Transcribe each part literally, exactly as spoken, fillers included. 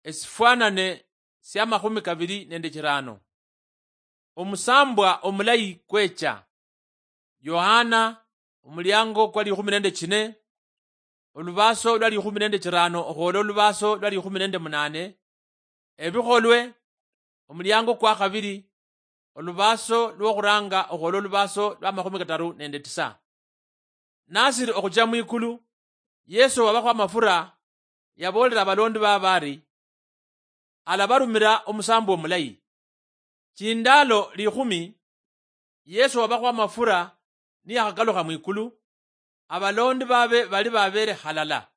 Esifwanane sia makhumi kabili nende chirano. Omusambwa omulayi kwecha. Yohana, omuliango kwa likhumi nende chine, olubaso lwa likhumi nende chirano okhwola olubaso lwa likhumi nende munane. Ebikholwe, omuliango kwa khabili, olubaso lwokhuranga okhwola olubaso lwa makhumi kataru nende tisa. Nasiri okhucha mwikulu, Yesu wabakhwa amafura yaboolera abalondi babe ari, alabarumira omusambo omulayi. Chindaalo likhumi, Yesu wabakhwa amafura niyakhakalukha mwikulu, abalondi babe bali babeere halala.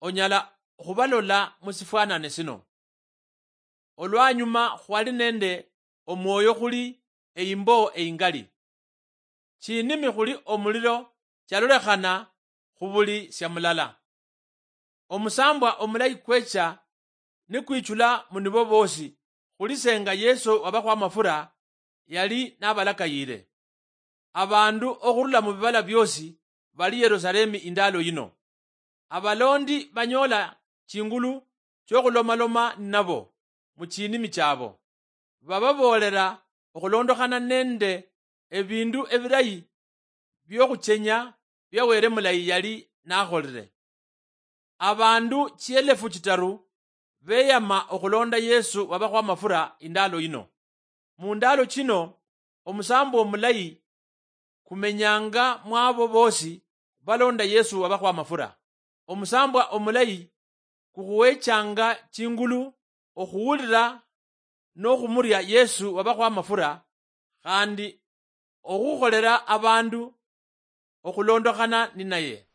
Onyala khubalola musifwanane sino. Olwanyuma khwali nende omwoyo khuli eimbo eingali. Chinimi khuli omuliro chalolekhana khubuli sia mulala. Omusambwa omulayi kwecha nikwichula munibo bosi, khuli senga Yesu wabakhwa amafura yali nabalakayire. Abandu okhurula mubibala biosi bali Yerusalemi indaalo yino. Abalondi banyoola chingulu chiokhulomaloma ninabo muchinimi chiabo. Bababoolera okhulondokhana nende ebindu ebilayi biokhuchenya bia Wele mulayi yali nakholire. Abandu chielefu chitaru beyama okhulonda Yesu wabakhwa amafura indaalo yino. Mundaalo chino, omusambwa omulayi kumenyanga mwabo bosi balonda Yesu wabakhwa amafura. Omusambwa omulayi kukhuwechanga chingulu okhuwulira nokhumuria Yesu wabakhwa amafura, khandi okhukholera abandu okhulondokhana ninaye.